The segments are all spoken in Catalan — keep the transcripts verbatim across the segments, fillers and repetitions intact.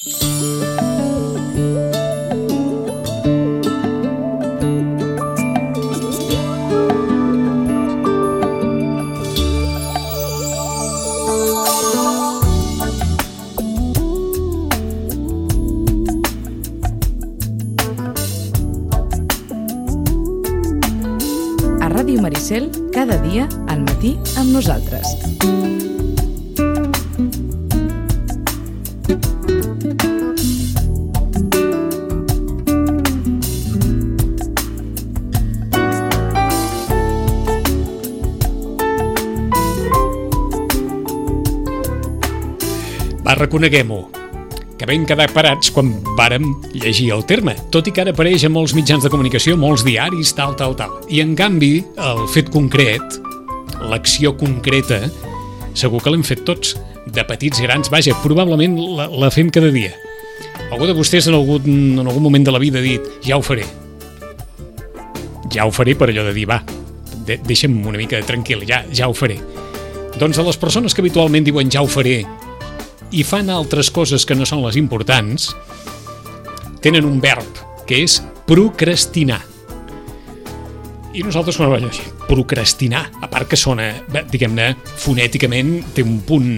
Ràdio Maricel, cada dia al matí amb nosaltres. Va, reconeguem-ho, que vam quedar parats quan vàrem llegir el terme, tot i que ara apareix a molts mitjans de comunicació, molts diaris, tal, tal, tal. I en canvi, el fet concret, l'acció concreta, segur que l'hem fet tots, de petits, grans, vaja, probablement la, la fem cada dia. Algú de vostès en algun, en algun moment de la vida ha dit, ja ho faré. Ja ho faré per allò de dir, va, de, deixa'm una mica tranquil, ja, ja ho faré. Doncs a les persones que habitualment diuen ja ho faré, i fan altres coses que no són les importants, tenen un verb, que és procrastinar. I nosaltres, quan ho vaig dir, procrastinar, a part que sona, diguem-ne, fonèticament, té un punt,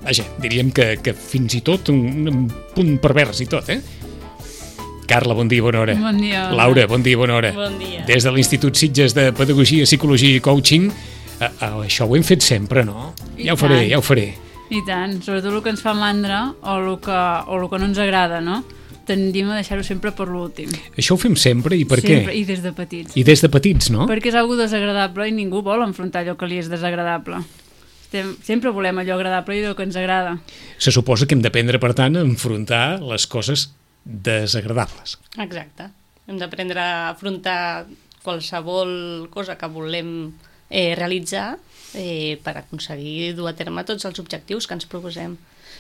vaja, diríem que, que fins i tot un, un punt pervers i tot, eh? Carla, bon dia, bona hora. Bon dia. Laura, bon dia, bona hora. Bon dia. Des de l'Institut Sitges de Pedagogia, Psicologia i Coaching, eh, eh, això ho hem fet sempre, no? I ja ho faré, tant. ja ho faré. I tant, sobretot el que ens fa mandra o el que, o el que no ens agrada, no? Tendim a deixar-ho sempre per l'últim. Això ho fem sempre, i per sempre, què? I des de petits. I des de petits, no? Perquè és algo desagradable i ningú vol enfrontar allò que li és desagradable. Estem, sempre volem allò agradable i allò que ens agrada. Se suposa que hem d'aprendre, per tant, a enfrontar les coses desagradables. Exacte. Hem d'aprendre a afrontar qualsevol cosa que volem eh, realitzar eh, per aconseguir dur a terme tots els objectius que ens proposem.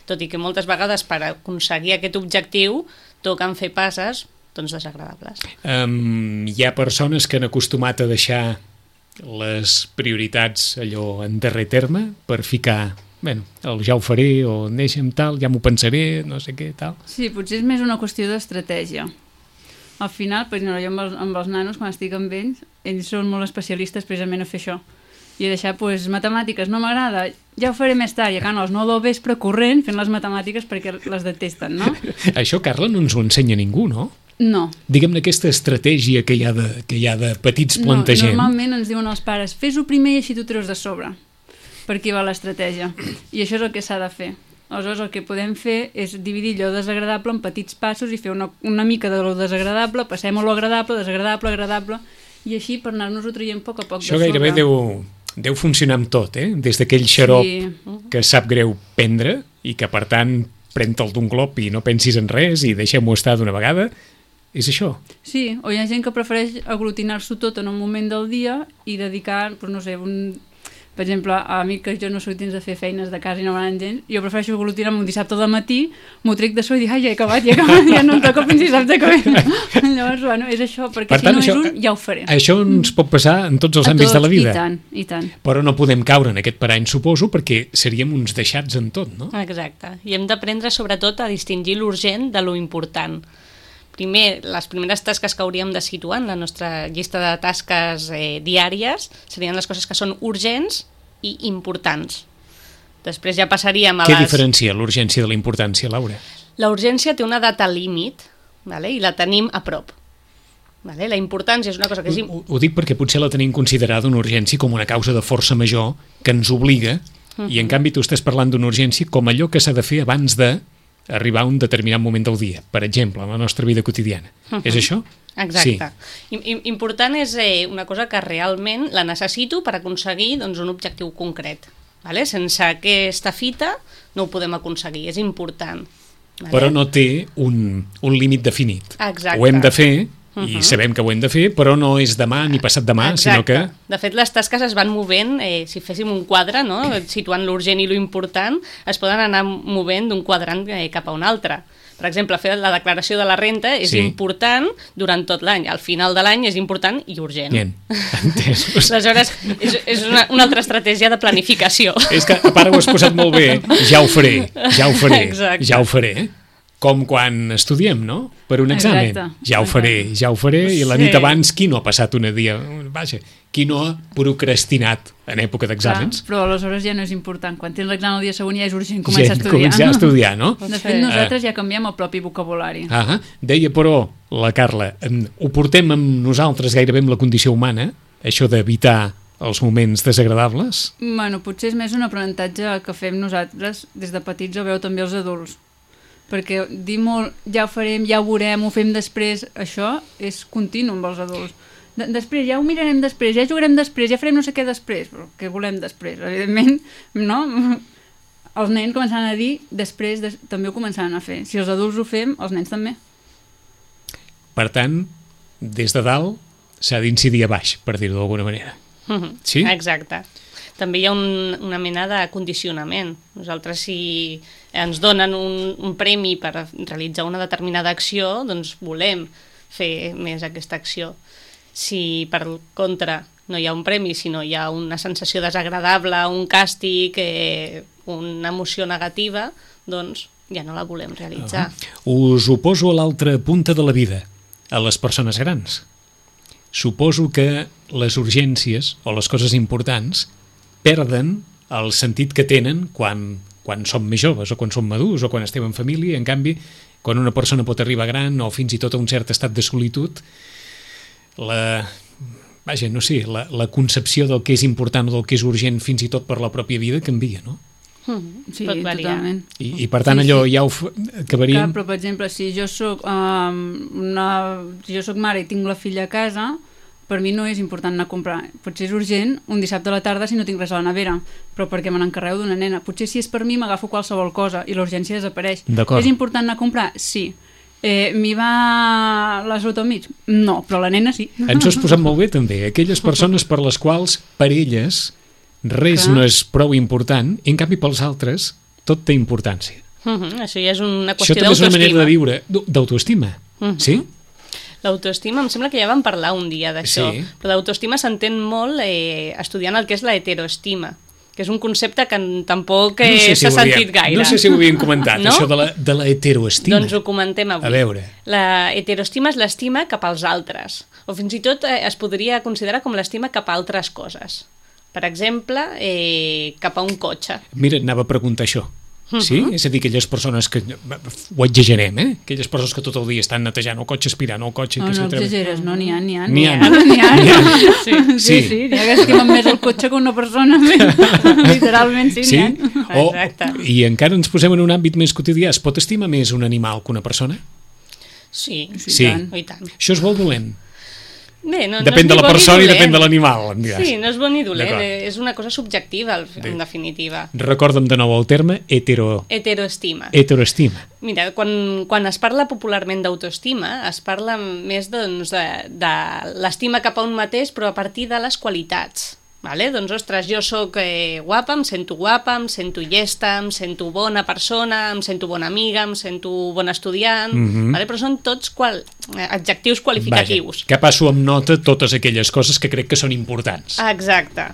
Tot i que moltes vegades per aconseguir aquest objectiu toquen fer passes doncs, desagradables. Um, hi ha persones que han acostumat a deixar les prioritats allò en darrer terme per ficar, bueno, el ja ho faré o deixa'm tal, ja m'ho pensaré, no sé què, tal. Sí, potser és més una qüestió d'estratègia. Al final, per exemple, jo amb els, amb els nanos, quan estic amb ells, ells són molt especialistes precisament a fer això. I a deixar, doncs, matemàtiques no m'agrada, ja ho faré més tard, i acabant a les nou del vespre corrent fent les matemàtiques perquè les detesten, no? Això, Carla, no ens ho ensenya ningú, no? No. Diguem-ne aquesta estratègia que hi ha de, que hi ha de petits No, plantegem. normalment ens diuen els pares, fes-ho primer i així t'ho treus de sobre. Per aquí va l'estratègia. I això és el que s'ha de fer. Aleshores, el que podem fer és dividir allò desagradable en petits passos i fer una, una mica de lo desagradable, passem a lo agradable, desagradable, agradable, i així per anar-nos-ho traient a poc a poc Això de sobre. gairebé deu, deu funcionar amb tot, eh? Des d'aquell xarop Sí. que sap greu prendre i que, per tant, pren-te'l d'un glop i no pensis en res i deixem-ho estar d'una vegada. És això. Sí, o hi ha gent que prefereix aglutinar-s'ho tot en un moment del dia i dedicar, doncs no sé, un... per exemple, a mi que jo no soc dins de fer feines de casa i no m'agrada gens, jo prefereixo aglutinar-me un dissabte al matí, m'ho trec de so i dic, ai, ja he acabat, ja he acabat, ja no em toca fins dissabte que ve. Llavors, bueno, és això, perquè Per si tant, no això- és un, ja ho faré. Això ens pot passar en tots els A àmbits de la tots, vida. I tant, i tant. Però no podem caure en aquest parany, suposo, perquè seríem uns deixats en tot, no? Exacte. I hem d'aprendre sobretot a distingir l'urgent de lo important. Primer, les primeres tasques que hauríem de situar en la nostra llista de tasques eh, diàries serien les coses que són urgents i importants. Després ja passaríem a Què les... diferencia l'urgència de la importància, Laura? La urgència té una data límit, vale? I la tenim a prop. Vale? La importància és una cosa que és... Ho, ho dic perquè potser la tenim considerada una urgència com una causa de força major que ens obliga, uh-huh. i en canvi tu estàs parlant d'una urgència com allò que s'ha de fer abans de arribar a un determinat moment del dia, per exemple, en la nostra vida quotidiana. Uh-huh. És això? Exacte. Sí. I, important és eh, una cosa que realment la necessito per aconseguir doncs, un objectiu concret. Vale? Sense aquesta fita no ho podem aconseguir, és important. Vale? Però no té un, un límit definit. Exacte. Ho hem de fer Uh-huh. I sabem que ho hem de fer, però no és demà ni passat demà, Exacte. sinó que... De fet, les tasques es van movent, eh, si féssim un quadre, no? Situant l'urgent i l'important, es poden anar movent d'un quadrant eh, cap a un altre. Per exemple, fer la declaració de la renta és sí. important durant tot l'any. Al final de l'any és important i urgent. Bien, entesos. Aleshores, és, és una, una altra estratègia de planificació. És que a part ho has posat molt bé, ja ho faré, ja ho faré, Exacte. ja ho faré. Com quan estudiem, no? Per un examen. Exacte. Ja ho faré, ja ho faré, i la Sí. nit abans, qui no ha passat una dia? Vaja, qui no ha procrastinat en època d'exàmens? Clar, però aleshores ja no és important. Quan tens l'examen el dia següent ja és urgent començar Ja a estudiar. començar a estudiar, no? De fet, nosaltres ja canviem el propi vocabulari. Ah, deia, però, la Carla, em, ho portem amb nosaltres gairebé amb la condició humana, això d'evitar els moments desagradables? Bueno, potser és més un aprenentatge que fem nosaltres des de petits o veu també els adults. Perquè dir molt, ja ho farem, ja ho veurem, ho fem després, això és continu amb els adults. De després, ja ho mirarem després, ja jugarem després, ja farem no sé què després, però què volem després? Evidentment, no? Els nens començaran a dir després, des, també ho començaran a fer. Si els adults ho fem, els nens també. Per tant, des de dalt s'ha d'incidir a baix, per dir-ho d'alguna manera. Mhm. Sí? Exacte. També hi ha un, una mena de condicionament. Nosaltres, si ens donen un, un premi per realitzar una determinada acció, doncs volem fer més aquesta acció. Si, per contra, no hi ha un premi, sinó hi ha una sensació desagradable, un càstig, eh, una emoció negativa, doncs ja no la volem realitzar. Uh-huh. Us ho poso a l'altra punta de la vida, a les persones grans. Suposo que les urgències o les coses importants perden el sentit que tenen quan, quan som més joves o quan som madurs o quan estem en família. En canvi, quan una persona pot arribar gran o fins i tot a un cert estat de solitud, la, vaja, no sé, la, la concepció del que és important o del que és urgent fins i tot per la pròpia vida canvia, no? Mm, Sí, pot variar. totalment. I, i per tant Sí, allò sí. ja ho f- acabaríem... Clar, però per exemple, si jo soc, um, una, si jo soc mare i tinc la filla a casa, per mi no és important anar a comprar. Potser és urgent un dissabte a la tarda si no tinc res a la nevera, però perquè me n'encarrego d'una nena. Potser si és per mi m'agafo qualsevol cosa i l'urgència desapareix. D'acord. És important anar a comprar? Sí. Eh, m'hi va la salut al mig? No, però la nena sí. Ens ho has posat molt bé també. Aquelles persones per les quals, per elles, res Clar. no és prou important, i en canvi pels altres tot té importància. Mhm, això ja és una Això qüestió també és una manera de d'autoestima. viure, d'au- d'autoestima. Mhm. Sí? L'autoestima, em sembla que ja vam parlar un dia d'això, Sí. però l'autoestima s'entén molt eh, estudiant el que és la heteroestima, que és un concepte que en- tampoc eh, No sé si s'ha ho havíem- sentit gaire. No sé si ho havíem comentat, No? això de la, de la heteroestima. Doncs ho comentem avui. A veure. La heteroestima és l'estima cap als altres, o fins i tot eh, es podria considerar com l'estima cap a altres coses. Per exemple, eh, cap a un cotxe. Mira, anava a preguntar això. Sí? És a dir, aquelles persones que... Ho exagerem, eh? Aquelles persones que tot el dia estan netejant el cotxe, aspirant el cotxe... No, que no s'atreven- exageres, no, n'hi ha, n'hi ha. N'hi ha. N'hi ha. N'hi ha. Sí, sí, Sí. sí, n'hi ha que estimen més el cotxe que una persona. Literalment, sí, Sí? n'hi ha. O, Exacte. I encara ens posem en un àmbit més quotidià. Es pot estimar més un animal que una persona? Sí, Sí, Sí. i tant. i tant. Això és bo o dolent? Bé, no, Depèn no de és la ni bo ni persona i dolent. depèn de l'animal, em diràs. Sí, no és bo ni dolent, D'acord. eh, és una cosa subjectiva, al- en Bé. definitiva. Recorda'm de nou el terme hetero, Heteroestima. heteroestima. Mira, quan, quan es parla popularment d'autoestima, es parla més doncs, de, de l'estima cap a un mateix, però a partir de les qualitats. Vale? Doncs, ostres, jo sóc eh, guapa, em sento guapa, em sento llesta, em sento bona persona, em sento bona amiga, em sento bon estudiant, Mhm. vale? Però són tots qual, eh, adjectius qualificatius. Vaja, que passo amb nota totes aquelles coses que crec que són importants. Exacte.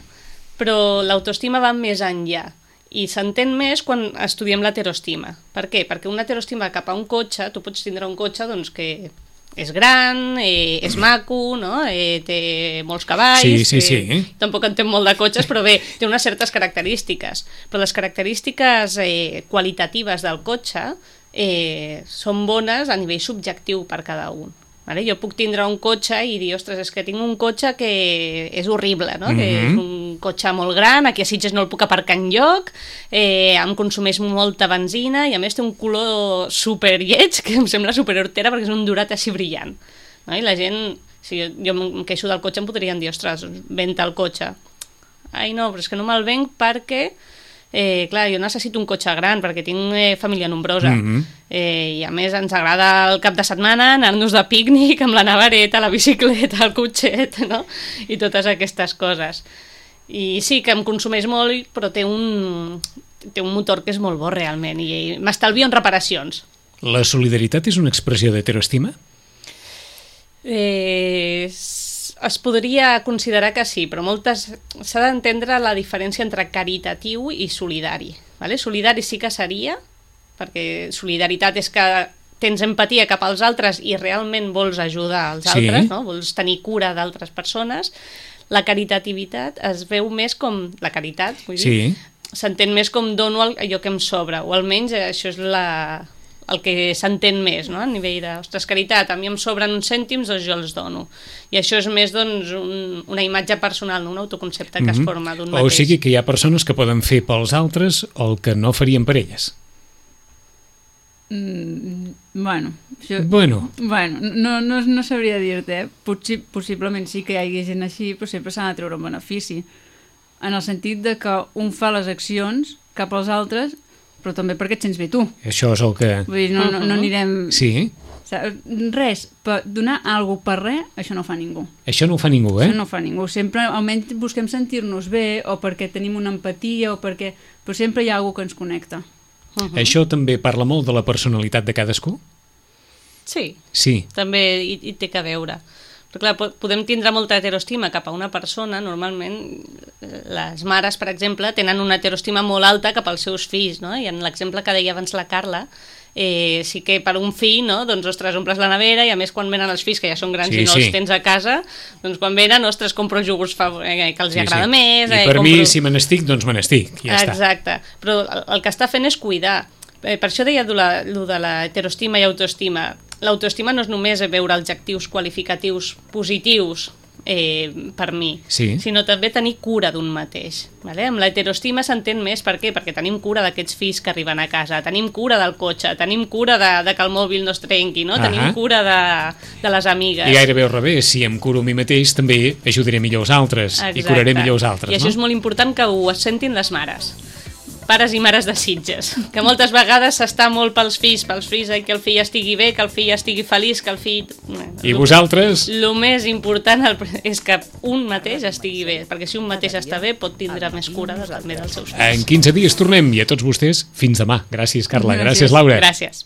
Però l'autoestima va més enllà i s'entén més quan estudiem l'heteroestima. Per què? Perquè una heteroestima cap a un cotxe, tu pots tindre un cotxe doncs, que és gran, eh, és maco, no? eh, té molts cavalls... Sí, sí, sí. Eh, tampoc entenc molt de cotxes, però bé, té unes certes característiques. Però les característiques eh, qualitatives del cotxe eh, són bones a nivell subjectiu per cada un. Vale? Jo puc tindre un cotxe i dir, ostres, és que tinc un cotxe que és horrible, no? Mm-hmm. Que és un cotxe molt gran, aquí a Sitges no el puc aparcar enlloc, eh, em consumeix molta benzina i a més té un color super lleig, que em sembla super hortera perquè és un dorat així brillant. No? I la gent, si jo, jo em queixo del cotxe, em podrien dir, ostres, venta el cotxe. Ai no, però és que no me'l venc perquè... Eh, clar, jo necessito un cotxe gran perquè tinc eh, família nombrosa. Mhm. Eh, I a més ens agrada el cap de setmana anar-nos de pícnic amb la nevareta, la bicicleta, el cotxet, no? I totes aquestes coses. I sí que em consumeix molt, però té un, té un motor que és molt bo realment i m'estalvio en reparacions. La solidaritat és una expressió d'heteroestima? Eh, es podria considerar que sí, però moltes s'ha d'entendre la diferència entre caritatiu i solidari. Vale? Solidari sí que seria, perquè solidaritat és que tens empatia cap als altres i realment vols ajudar als Sí. altres, no? Vols tenir cura d'altres persones. La caritativitat es veu més com... La caritat, vull dir, Sí. s'entén més com dono allò que em sobra, o almenys això és la, el que s'entén més, no? A nivell de, ostres, caritat, a mi em sobren uns cèntims, doncs jo els dono. I això és més, doncs, un, una imatge personal, no? Un autoconcepte que es forma d'un mateix. O sigui que hi ha persones que poden fer pels altres el que no farien per elles. Mm, bueno, això... Bueno, Bueno, no, no, no sabria dir-te, eh? Potsi, possiblement sí que hi hagi gent així, però sempre s'ha de treure un benefici. En el sentit de que un fa les accions cap als altres, però també perquè et sents bé tu. això és el que... Vull dir, no, no, no anirem... Sí, Saps? Res, per donar alguna per res, això no ho fa ningú. això no ho fa ningú, eh? Això no ho fa ningú. Sempre, almenys, busquem sentir-nos bé, o perquè tenim una empatia, o perquè... Però sempre hi ha alguna que ens connecta. Uh -huh. Això també parla molt de la personalitat de cadascú? Sí, Sí. també hi, hi té que veure. Però clar, po- podem tindre molta heteroestima cap a una persona, normalment les mares, per exemple, tenen una heteroestima molt alta cap als seus fills, no? I en l'exemple que deia abans la Carla, eh, sí que per un fill, no? Doncs, ostres, omples la nevera i a més quan venen els fills, que ja són grans Sí, i no sí. els tens a casa, doncs quan venen, ostres, compro iogurts fav- eh, que els Sí, agrada sí. més. I eh, per compro... mi, si me n'estic, doncs me n'estic. Ja està. Exacte, però el, el que està fent és cuidar. Eh, per això deia el de la heteroestima i autoestima. L'autoestima no és només veure adjectius qualificatius positius eh, per mi, Sí. sinó també tenir cura d'un mateix. Vale? Amb l'heteroestima s'entén més, per què? Perquè tenim cura d'aquests fills que arriben a casa, tenim cura del cotxe, tenim cura de, de que el mòbil no es trenqui, no? Ahà. Tenim cura de, de les amigues. I gairebé al revés, si em curo a mi mateix, també ajudaré millor els altres i curaré millor els altres, I això no? és molt important que ho sentin les mares, pares i mares de Sitges, que moltes vegades s'està molt pels fills, pels fills, eh, que el fill estigui bé, que el fill estigui feliç, que el fill... I vosaltres? El més important és que un mateix estigui bé, perquè si un mateix està bé pot tindre més cura de, també dels seus fills. En quinze dies tornem i a tots vostès, fins demà. Gràcies, Carla. Gràcies, Laura. Gràcies.